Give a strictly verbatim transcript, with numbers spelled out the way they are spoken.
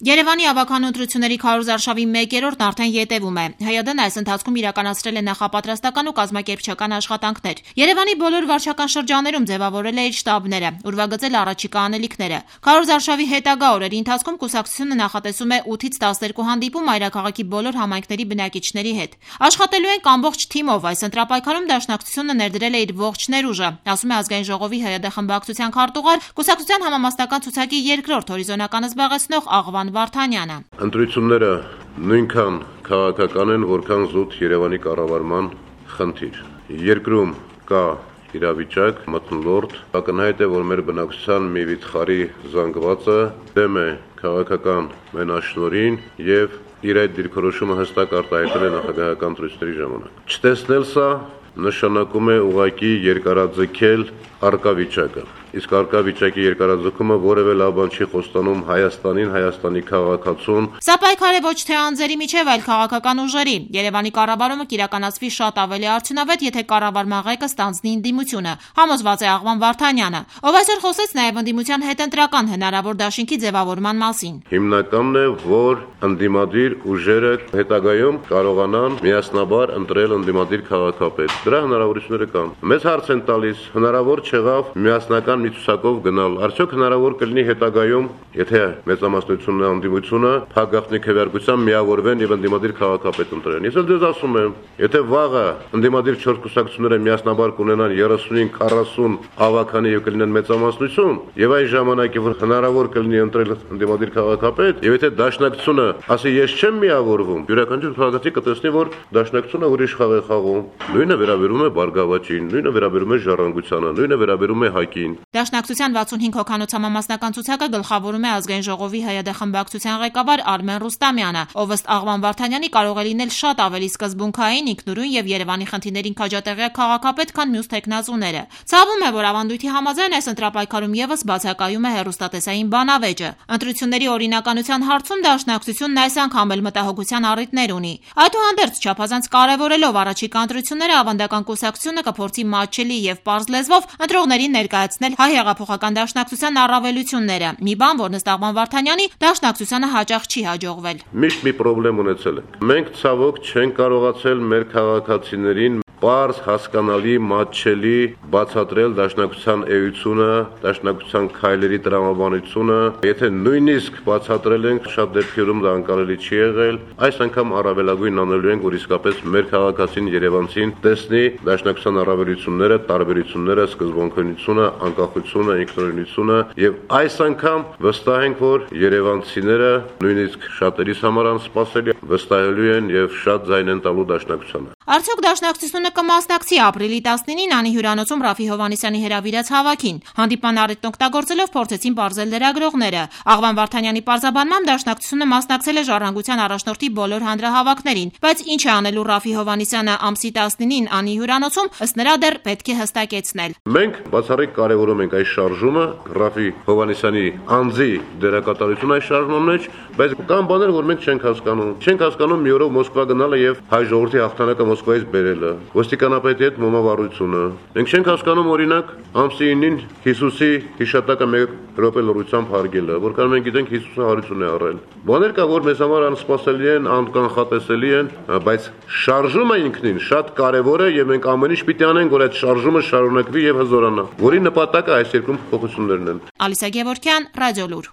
Երևանի ավագանու ընտրությունների քարոզարշավի մեկերորդն արդեն ետևում է։ ՀՅԴ-ն այս ընթացքում իրականացրել է նախապատրաստական ու կազմակերպչական աշխատանքներ։ Երևանի բոլոր վարչական շրջաններում ձևավորել է իր շտաբները, ուրվագծել առաջիկա անելիքները։ Քարոզարշավի հետագա օրերի ընթացքում կուսակցությունը նախատեսում է ութից տասներկու հանդիպում մայրաքաղաքի բոլոր համայնքների բնակիչների հետ։ Աշխատելու ենք ամբողջ թիմով, այս ընտրապայքարում Դաշնակցությունը ներդրել է իր ողջ ներուժը, ասում է Ազգային ժողովի ՀՅԴ խմբակցության քարտուղար, կուսակցության համամասնական ցուցակի երկրորդ հորիզոնականը զբաղեցնող Աղվան Վարդանյանը։ Ընտրությունները նույնքան քաղաքական են, որքան զուտ Երևանի կառավարման խնդիր։ Երկրում կա իրավիճակ, մթնոլորտ, ակնհայտ է, որ մեր բնակչության մի վիթխարի զանգվածը դեմ է քաղաքական մենաշնորհին եւ իր այդ դիրքորոշումը հստակ արտահայտել է նախագահական ընտրությունների ժամանակ։ Չտեսնել սա նշանակում է ուղղակի երկարաձգել առկա վիճակը։ Իսկ առկա վիճակի երկարաձգումը որևէ լավ բան չի խոստանում Հայաստանին, Հայաստանի քաղաքացուն։ Սա պայքար է ոչ թե անձերի միջև, այլ քաղաքական ուժերի։ Երևանի կառավարումը կիրականացվի շատ ավելի արդյունավետ, եթե կառավարման ղեկը ստանձնի ընդդիմությունը, համոզված է Աղվան Վարդանյանը, ով այսօր խոսեց նաև ընդդիմության հետընտրական հնարավոր դաշինքի ձևավորման մասին։ Հիմնականն է, որ ընդդիմադիր ուժերը հետագայում կարողանան միասնաբար ընտրել ընդդիմադիր քաղաքապետ։ Դրա հնարավորությունները կան։ Մեզ հարց են տալիս, հնարավոր չեղավ միասնական մի ցուցակով գնալ։ Արդյոք հնարավոր կլինի հետագայում, եթե մեծամասնությունն է ընդդիմությունը, փակախտնի քվեարկությամբ միավորվեն եւ ընդդիմադիր քաղաքապետ ընտրեն։ Ես էլ ձեզ ասում եմ, եթե վաղը ընդդիմադիր չորս կուսակցությունները միասնաբար կունենան երեսունին քառասուն ավագանի եւ կլինեն մեծամասնություն, եւ այն ժամանակ, որ հնարավոր կլինի ընտրել ընդդիմադիր քաղաքապետ, եւ եթե Դաշնակցությունը ասի ես չեմ միավորվում, յուրաքանչյուր քաղաքացի կտեսնի, որ Դաշնակցությունը ուրիշ խաղ է խաղում։ Նույնը վերաբերում է Բարգավաճին, նույնը վերաբերում է Ժառանգությանը, նույնը վերաբերում է ՀԱԿ-ին։ Դաշնակցության վաթսունհինգ հոգանոց համամասնական ցուցակը գլխավորում է Ազգային ժողովի ՀՅԴ խմբակցության ղեկավար Արմեն Ռուստամյանը, ով ըստ Աղվան Վարդանյանի կարող է լինել շատ ավելի սկզբունքային, ինքնուրույն եւ Երևանի խնդիրներին քաջատեղյակ քաղաքապետ, քան մյուս թեկնածուները։ Ցավում է, որ ավանդույթի համաձայն այս ընտրապայքարում եւս բացակայում է հեռուստատեսային բանավեճը։ Ընտրությունների օրինականության հարցում Դաշնակցությունն այս անգամ էլ մտահոգության առիթներ ունի։ Այդուհանդերձ չափազանց կարևորելով առաջիկա ընտրությունները, ավանդական կուսակցությունը կփորձի մատչելի եւ պարզ լեզվով ընտրողներին ներկայացնել հայ հեղափոխական դաշնակցության առավելությունները։ Մի բան, որն ըստ Աղվան Վարդանյանի Դաշնակցությանը հաճախ չի հաջողվել։ Միշտ մի խնդրեմ ունեցել ենք։ Մենք ցավոք չենք կարողացել մեր քաղաքացիներին պարզ, հասկանալի, մատչելի բացատրել Դաշնակցության էությունը, Դաշնակցության քայլերի տրամաբանությունը։ Եթե նույնիսկ բացատրել ենք, շատ դեպքերում դա անկարելի չի եղել, այս անգամ առավելագույն անելու ենք, որ իսկապես մեր քաղաքացին երևանցին տեսնի Դաշնակցության առավելությունները, տարբերությունները, սկզբունքայնությունը, անկախությունը, ինքնուրույնությունը, եւ այս անգամ վստահ ենք, որ երևանցիները նույնիսկ շատերիս համար անսպասելի վստահելու են եւ շատ ձայն են տալու Դաշնակցությանը։ Արդյոք Դաշնակցությունը կմասնակցի ապրիլի տասնինին Անի հյուրանոցում Ռաֆի Հովհաննիսյանի հրավիրած հավաքին։ Հանդիպման առիթն օգտագործելով փորձեցին պարզել լրագրողները։ Աղվան Վարդանյանի պարզաբանմամբ Դաշնակցությունը մասնակցել է Ժառանգության առաջնորդի բոլոր հանրահավաքներին, բայց ինչ է անելու Ռաֆի Հովհաննիսյանը ամսի տասնինին Անի հյուրանոցում, ըստ նրա դեռ պետք է հստակեցնել։ Մենք բացառիկ կարևորում ենք այս շարժումը, Ռաֆի Հովհաննիսյանի անձի դերակատարությունը այս շարժման մեջ, բայց կան բաներ, որ մենք չենք հասկանում։ Չենք հասկանում մի օրով Մոսկվա գնալը եւ հայ ժողովրդի հաղթանակը Մոսկվայից բերելը, ոստիկանապետի հետ մոմավառությունը։ Մենք չենք հասկանում օրինակ ամսի ինին Հիսուսի հիշատակը մեկ րոպե լռությամբ հարգելը, որքան մենք գիտենք Հիսուսը հարություն է առել։ Բաներ կա, որ մեզ համար անսպասելի են, անկանխատեսելի են, բայց շարժումը ինքնին շատ կարևոր է եւ մենք ամեն ինչ պիտի անենք, որ այդ շարժումը շարունակվի եւ հզորանա, որի նպատակը այս երկրում փոփոխություններն են։ Ալիսա Գևորգյան, Ռադիոլուր։